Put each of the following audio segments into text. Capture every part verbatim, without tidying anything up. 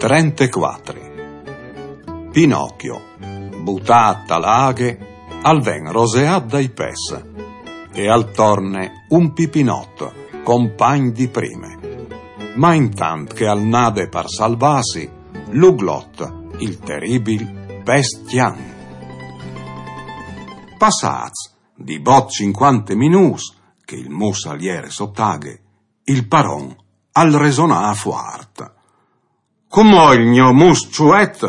Trentequatri. Pinocchio, butât a la aghe, al ven roseât dai pes e al torne un pipinot, compagn di prime. Ma intant che al nade par salvâsi, l'uglot, il teribil, pes cjan. Passâts di bot cincuante minûts che il mus al jere sot aghe, il paron al resonà fuart. Cumò il gno mus çuet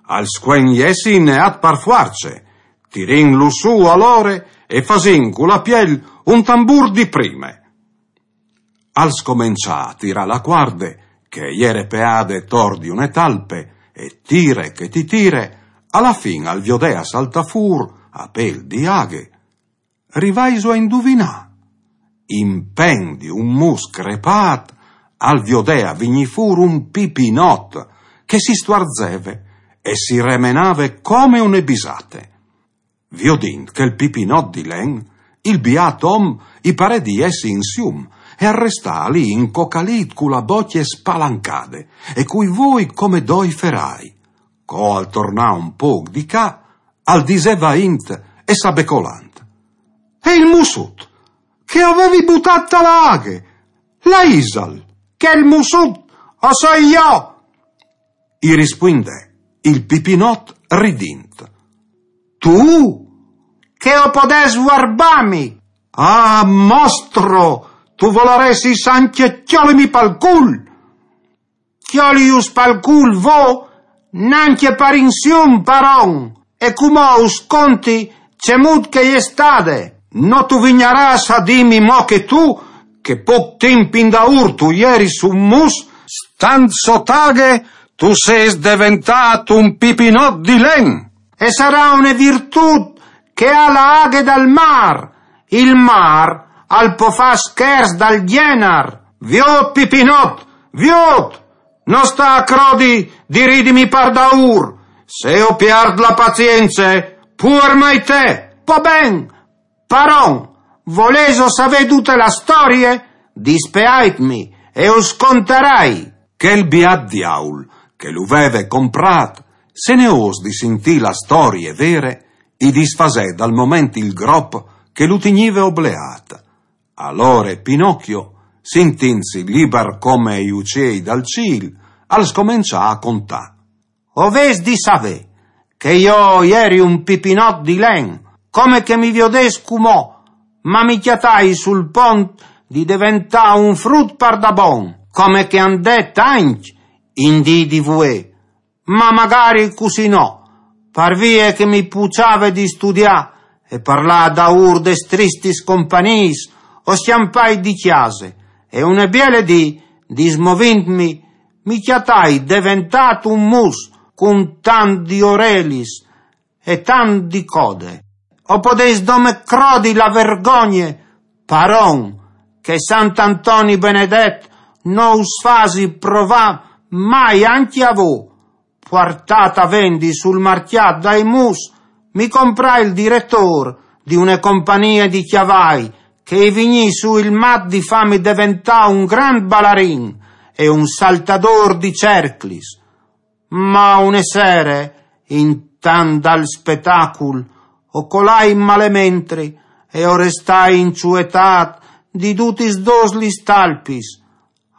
al scuen jessi inneât par fuarce, tirìnlu sù alore e fasìn cu la piel un tambûr di prime. Al scomençà a tirâ la cuarde, che e jere peade tor di une talpe, e tire che ti tire, a la fin al viodè a saltâ fûr, a pêl di aghe. Rivaiso a induvinâ? In pen di un mus crepât, al viodè a vignî fûr un pipinot, che si stuarzeve e si remenave come une bisate. Viodint chel pipinot di len, il biât om i parè di jessi in sium, e al restà li incocalît cu la bocje spalancade e cui voi come doi ferâi. Co al tornà un pôc di ca, al disè vaint e sabecolant: «E il musut, che o vevi butât a la aghe, là isal?» «Chel musut o soi jo!» i rispuindè il pipinot ridint. «Tu? Che o podès vuarbâmi?» «Ah, mostro, tu volaressis ancje cjolimi pal cûl!» «Cjolius pal cûl vô, nancje par in sium, paron. E cumò us conti cemût che e je stade. No tu vignarâs a dîmi mo che tu, che pôc timp indaûr tu jeris un mus, stant sot aghe tu sês deventât un pipinot di len. E sarà une virtût che e à la aghe dal mâr. Il mâr al pò fâ scherçs dal gjenar. Viôt, pipinot, viôt! No sta a crodi di ridimi par daûr. Se o piert la pazience, puar mai te!» «Po ben, paron, volêso savê dute la storie? Dispeaitmi e us contarai.» Chel biât diaul che lu veve comprât, senôs di sintî la storie vere, i disfasè dal moment il grop che lu tignive obleât. Alore Pinocchio, sintintsi libar come i uciei dal cîl, al scomençà a contâ: «O vês di savê che jo o jeri un pipinot di len, come che mi viodês cumò, ma mi cjatai sul pont di deventâ un frut pardabon, come che a 'nd è tancj in dì di vuê. Ma magari cussì no, par vie che mi puçave di studiâ e par lâ daûr des tristis compagniis, o scjampài di cjase e une biele dì, dismovintmi, mi cjatai deventât un mus cun tant di orelis e tant di code. O podês dome crodi la vergogne, paron, che Sant Antoni benedet no us fasi provâ mai ancje a vô.» Puartât a vendi sul marcjât dai mus, mi comprà il diretôr di une compagnie di cjavai, che i vignì sù il mat di fâmi deventâ un grant balarin e un saltadôr di cerclis. Ma une sere, intant dal spetacul, o colai malementri e o restai inçuetât di dutis dôs lis talpis.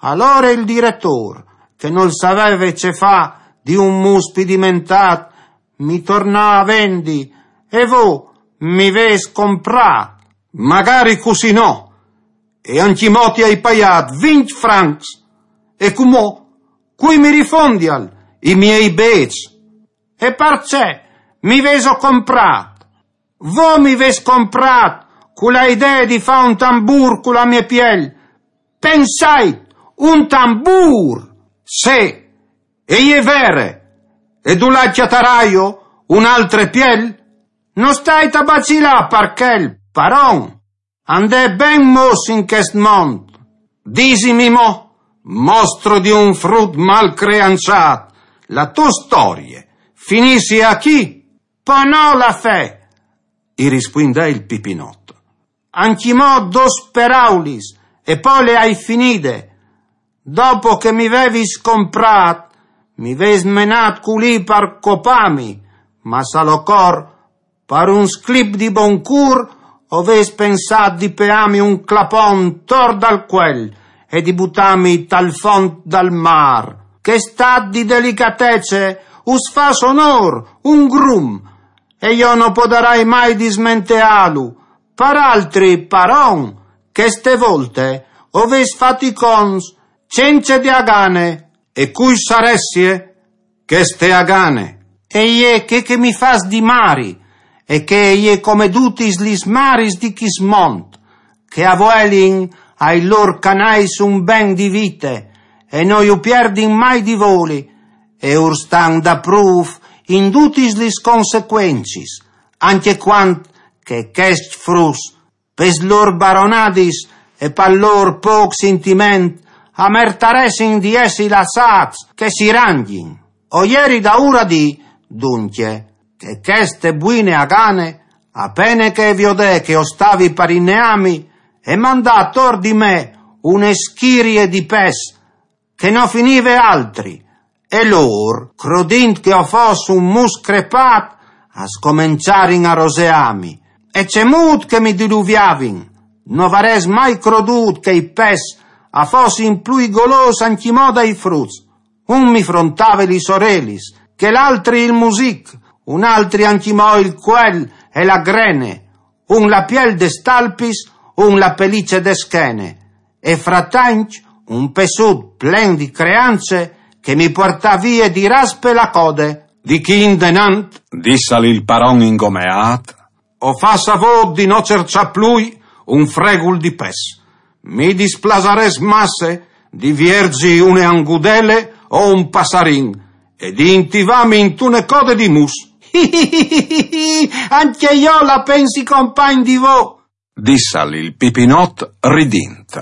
Alore il diretôr, che nol saveve ce fâ di un mus spidimentât, mi tornà a vendi e vô mi vês comprât. Magari cussì no, e ancjemò ti ai paiât vincj francs. E cumò, cui mi rifondial i miei bêçs? E parcè mi vêso comprât? Vô mi vês comprât cu la idee di fâ un tambûr cu la mê piel. Pensait, un tambûr! Sì, e je vere. E dulà cjataraio une altre piel? No stait a bacilâ par chel, paron. A 'nd è ben mos in chest mont. Disimi mo, mostro di un frut mal creançât, la tô storie finissie achì? Po no, la fè, i rispuindè il pipinot. Ancjemò dôs peraulis e po le ai finide. Dopo che mi vevis comprât, Mi vês menât culì par copâmi, ma salocor, par un sclip di bon cûr, o vês pensât di peâmi un clapon tor dal cuel e di butâmi tal font dal mâr. Chest at di delicatece us fâs onôr, un grum, e jo no podarai mai dismenteâlu. Par altri, paron, cheste volte o vês fat i conts cence di agane. E cui saressie cheste agane? E je chê che mi fâs di mari, e che e je come dutis lis maris di chist mont, che a vuelin ai lôr canais un ben di vite, e no ju pierdin mai di voli, e ur stan daprûf in dutis lis consecuencis, ancje cuant che chescj fruts, pes lôr baronadis e pal lôr pôc sintiment, a mertaressin di jessi lassâts che si rangjin. O jeri daûr a dî, duncje, che cheste buine agane, a pene che e viodè che o stavi par inneâmi, e mandà ator di me une schirie di pes, che no finive altri, e lôr, crodint che o fos un mus crepât, a scomençarin a roseâmi, e cemût che mi diluviavin, no varès mai crodût che i pes a fossin plui golôs ancjemò dai fruts. Un mi frontave lis orelis, chel altri il music, un altri ancjemò il cuel e la grene, un la piel des talpis, un la pelice de schene, e fratanc un pessut plen di creance che mi puartà vie di raspe la code. Di chi indenant, dissal il paron ingomeât, o fâs a vôt di no cerçâ plui un fregul di pes. Mi displasarès masse di vierzi une angudele o un passarin e di intivâmi intune code di mus. Ancje jo la pensi compagn di vô, dissal il Pipinot ridint.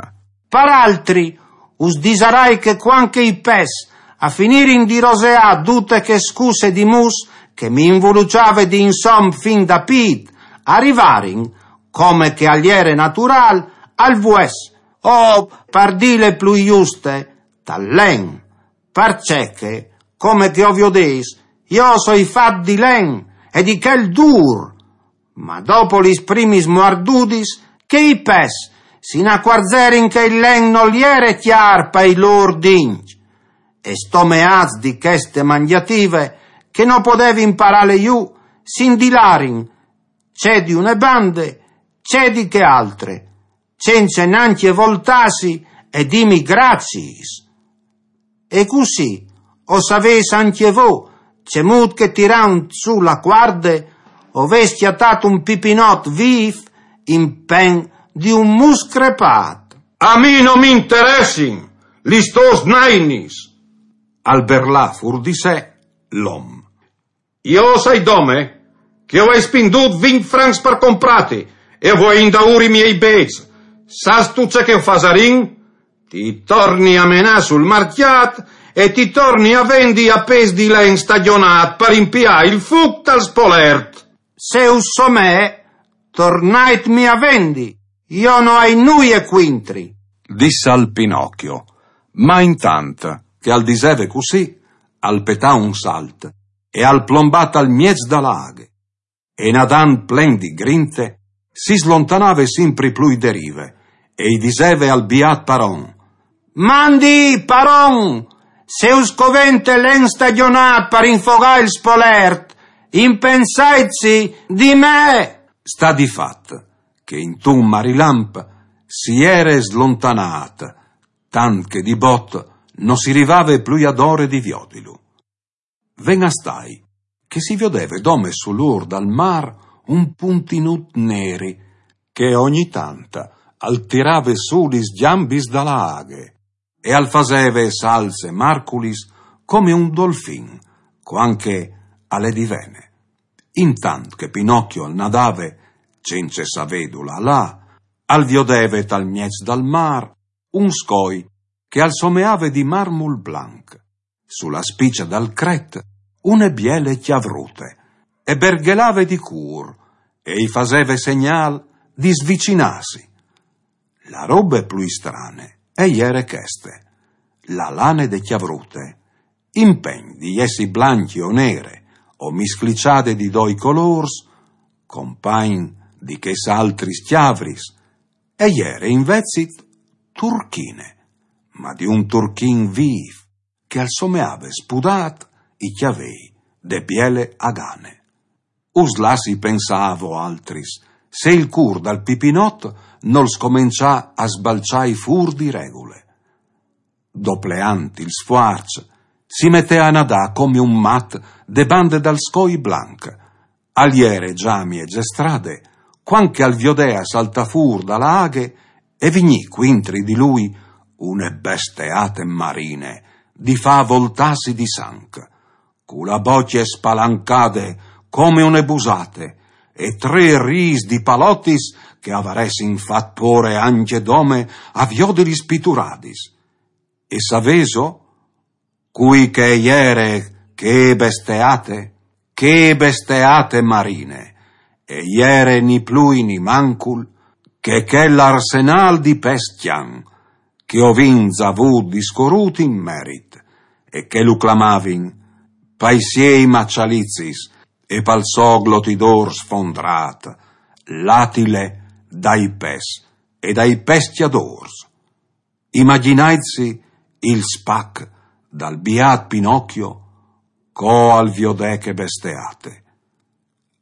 Par altri, us disarai che cuant che i pes a finirin di roseâ dute chê scusse di mus che mi involuçave di insom fin da pît, a rivarin, come che al jere naturâl, al vues, o, par dîle plui juste, tal len. Parcè che, come che o viodês, jo o soi fat di len e di chel dûr. Ma dopo lis primis muardudis, che i pes si inacuarzerin che il len nol jere cjâr pai lôr dincj. E stomeâts di cheste mangjative, che no podevin parâle jù, si indilarin, ce di une bande, ce di chê altre, cence nancje voltâsi e dîmi graciis. E cussì, o savês ancje vô, cemût che tirant sù la cuarde, o vês cjatât un Pipinot vîf in pen di un mus crepât. A mi no mi interessin lis tôs nainis, al berlà fûr di se l'om. Jo o sai dome che o ai spindût vincj francs par comprâti e o vuei indaûr i miei bêçs. Sâstu ce che o fasarin? Ti torni a menâ sul marcjât e ti torni a vendi a pês di len stagjonât par impiâ il fûc tal spolert. Se us somee, tornaitmi a vendi, jo no ai nuie cuintri, dissal Pinocchio, ma intant che al diseve cussì, al petà un salt e al plombà tal mieç da la aghe. E nadant plen di grinte, si slontanave simpri plui de rive, e i diseve al biât paron: Mandi, paron, se us covente len stagjonât par infogâ il spolert, impensaitsi di me! Sta di fat che intun marilamp si jere slontanât, tant che di bot no si rivave plui adore di viodilu. Ven a stâi che si viodeve dome sul ôr dal mâr un puntinut neri, che ogni tant al tirave sù lis gjambis da la aghe e al faseve salts e marculis come un dolfin, cuant che al è di vene. Intant che Pinocchio al nadave, cence savê dulà lâ, al viodeve tal mieç dal mâr un scoi che al someave di marmul blanc. Su la spice dal cret, une biele cjavrute, e berghelave di cûr, e i faseve segnâl di svicinâsi. La robe plui strane e jere cheste: la lane de cjavrute Impegn di jessi blancje o nere, o miscliciade di doi colôrs, compagn di chês altris cjavris, e jere invezit turchine, ma di un turchin vîf, che al someave spudât i cjavei de biele agane. Us lassi pensâ a voaltris, se il cûr dal Pipinot nol scomençà a sbalçâi fûr di regule. Dopleant il sfuarç, si metè a nadâ come un mat de bande dal scoi blanc. Al jere za mieze strade, cuant che al viodè a saltâ fûr da la aghe e vignî cuintri di lui une besteate marine, di fâ voltâsi di sanc, cu la bocje spalancade come une busate, e trê rîs di palotis che a varessin fat pôre ancje dome a viodilis pituradis. E savêso cui che e jere chê besteate? Chê besteate marine e jere ni plui ni mancul che chel arsenâl di Pes Cjan, che o vin za vût discorût in merit, e che lu clamavin, pai siei maçalicis e pal so glotidôr sfondrât, l'Atile dai pes e dai pescjadôrs. Imagjinaitsi il spac dal biât Pinocchio, co al viodè chê besteate.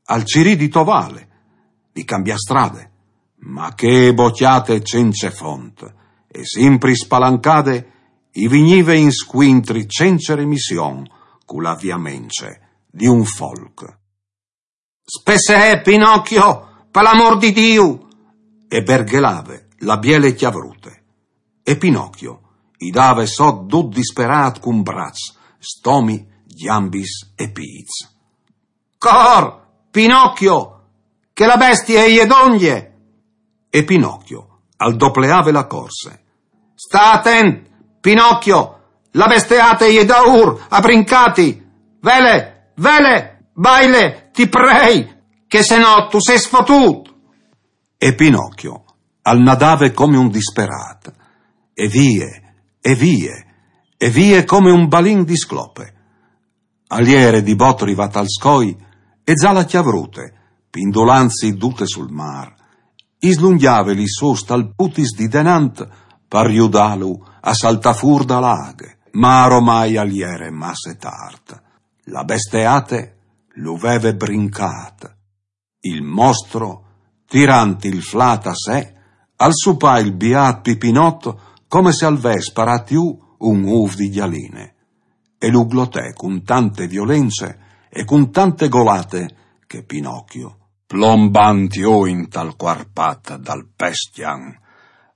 Al cirì di tovâle, di cambiâ strade, ma chê bocjate cence font e simpri spalancade i vignive in scuintri cence remission cu la viamence di un folc. Spessee, Pinocchio, pal amôr di Diu! E berghelave la biele cjavrute. E Pinocchio i dave sot dut disperât cun braçs, stomi, gjambis e pîts. Cor, Pinocchio, che la bestie e je dongje! E Pinocchio al dopleave la corse. Sta atent, Pinocchio, la besteate e je daûr a brincâti! Vele, vele, baile, ti prei, che se no tu sês fotût! E Pinocchio al nadave come un disperât, e vie, e vie, e vie come un balin di sclope. Al jere di bot rivât al scoi, e za la cjavrute, pindulantsi dute sul mâr, i slungjave lis sôs talputis di denant par judâlu a saltâ fûr da la aghe, ma aromai al jere masse tart. La besteate lu veve brincât. Il mostro, tirant il flât a se, al supà il biât Pipinot come se al ves parât jù un ûf di gjaline, e lu glotè cun tante violence e cun tante golate che Pinocchio, plombant jù intal cuarpat dal Pes Cjan,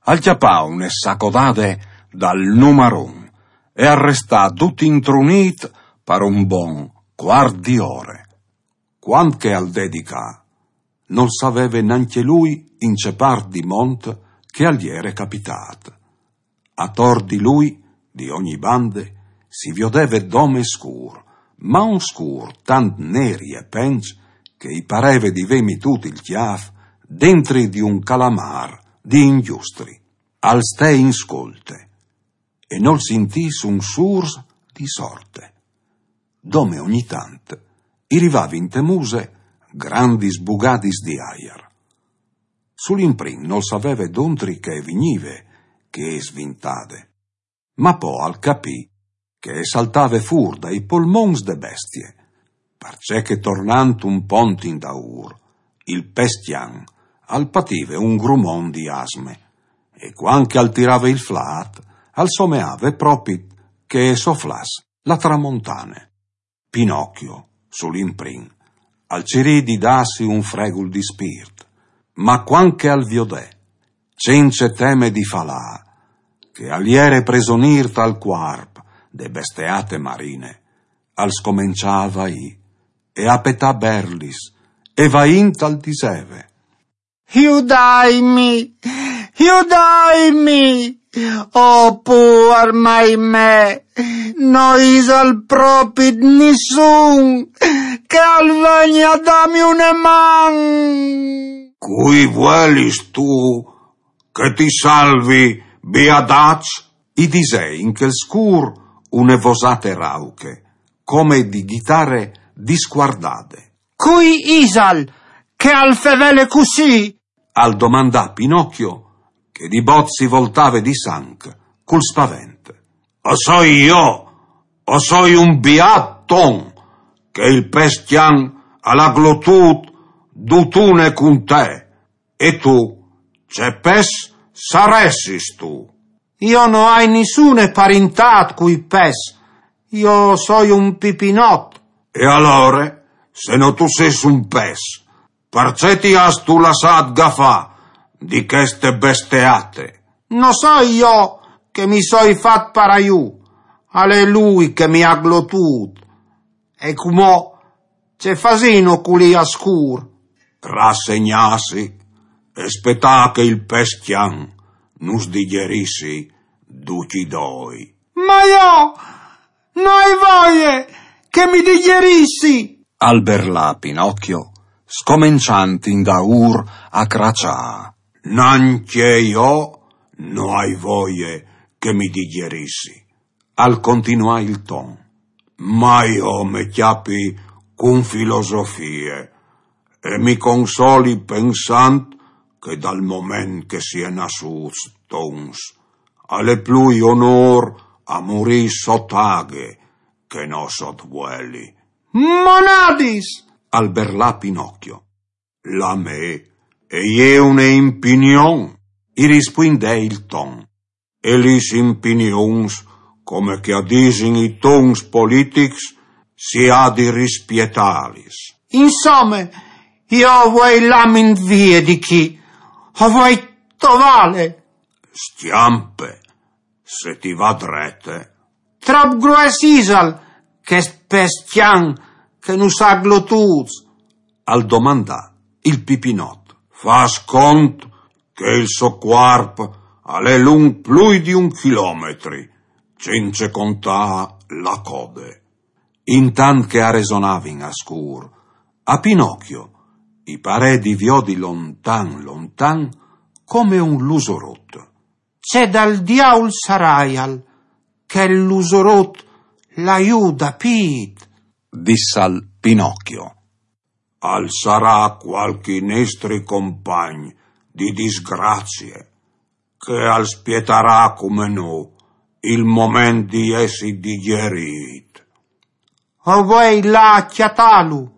al cjapà une sacodade dal numaron e al restà dut intrunît par un bon cuart di ore. Cuant che al dedicà, nol saveve nancje lui in ce part di mont che al jere capitât. Ator di lui, di ogni bande, si viodeve dome scûr, ma un scûr tant neri e penç che i pareve di vê mitût il cjâf dentri di un calamâr di ingjustri. Al stè in scolte e nol sintì un surs di sorte. Dome ogni tant i rivavin te muse grandis bugadis di aiar. Sul imprin nol saveve dontri che e vignive chê svintade, ma po al capì che e saltave fûr dai polmons de bestie, parcè che tornant un pont indaûr, il Pes Cjan al pative un grumon di asme, e cuant che al tirave il flât, al someave propit che e soflàs la tramontane. Pinocchio, sul imprin, al cirì di dâsi un fregul di spirt, ma cuant che al viodè, cence teme di falâ, che al jere presonîr tal cuarp de besteate marine, al scomençà a vaî e a petâ berlis, e vaint al diseve: Judaimi, judaimi! Oh, puar mai me, no isal propit nissun che al vegni a dâmi une man! Cui vuelistu che ti salvi, biadaç? I disè in chel scûr une vosate rauche, come di ghitare discuardade. «Cui isal che al fevele cussì?» al domandà Pinocchio, che di bot si voltave di sanc cul spavent. «O soi jo, o soi un biat ton, che il pes cjan al à glotût dutune cun te. E tu, ce pes saressistu?» «Jo no ai nissune parintât cui pes. Jo soi un pipinot.» «E alore, se no tu sês un pes, parcè ti âstu lassât gafâ di cheste besteate?» «No soi jo che mi soi fat paraiù, al è lui che mi à glotût. E cumò ce fasìno culì a scûr?» «Rassegnâsi e spietâ che il pes cjan nus digjerissi ducj i doi.» «Ma jo no ai voie che mi digjerissi!» al berlà Pinocchio, scomençant indaûr a craçâ. «Nancje jo no ai voie che mi digjerissi», al continuà il ton, «ma jo me cjapi cun filosofie e mi consoli pensant che dal moment che si è nassûts tons, al è plui onôr a murî sot aghe che no sot vueli.» «Monadis!» al berlà Pinocchio. «La mê e je une impinion», i rispuindè il ton. «E lis impinions, come che a disin i tons politics, si à di rispietâlis.» «Insome, jo o vuei lâmi vie di chi, o vuei tovâle.» «Scjampe, se ti va drete.» «Trop grues isal chest pes cjan che nus à glotûts?» al domandà il pipinot. «Fâs cont che il so cuarp al è lunc plui di un chilometri, cence contâ la code.» Intant che a resonavin a scûr, a Pinocchio i parè di viodi lontan lontan come un lusorot. «Ce dal diaul saraial chel lusorot là jù da pît?» dissal Pinocchio. «Al sarà cualchi nestri compagn di disgrazie, che al spietarà come nô il moment di jessi digjerît.» «O vuei lâ a cjatâlu.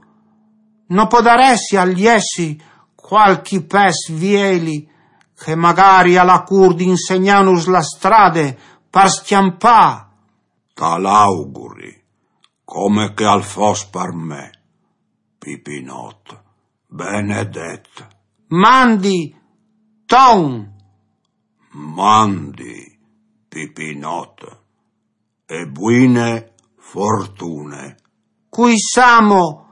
No podaressial jessi cualchi pes vieli che magari al à cûr di insegnânus la strade par scjampâ?» «Tal auguri, come che al fos par me, pipinot benedet.» «Mandi, ton!» «Mandi, pipinot, e buine fortune.» «Cui sa mo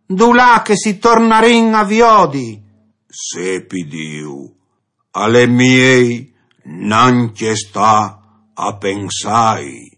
dulà che si tornarìn a viodi?» «Sepi Diu, al è miei nancje stâ a pensâi.»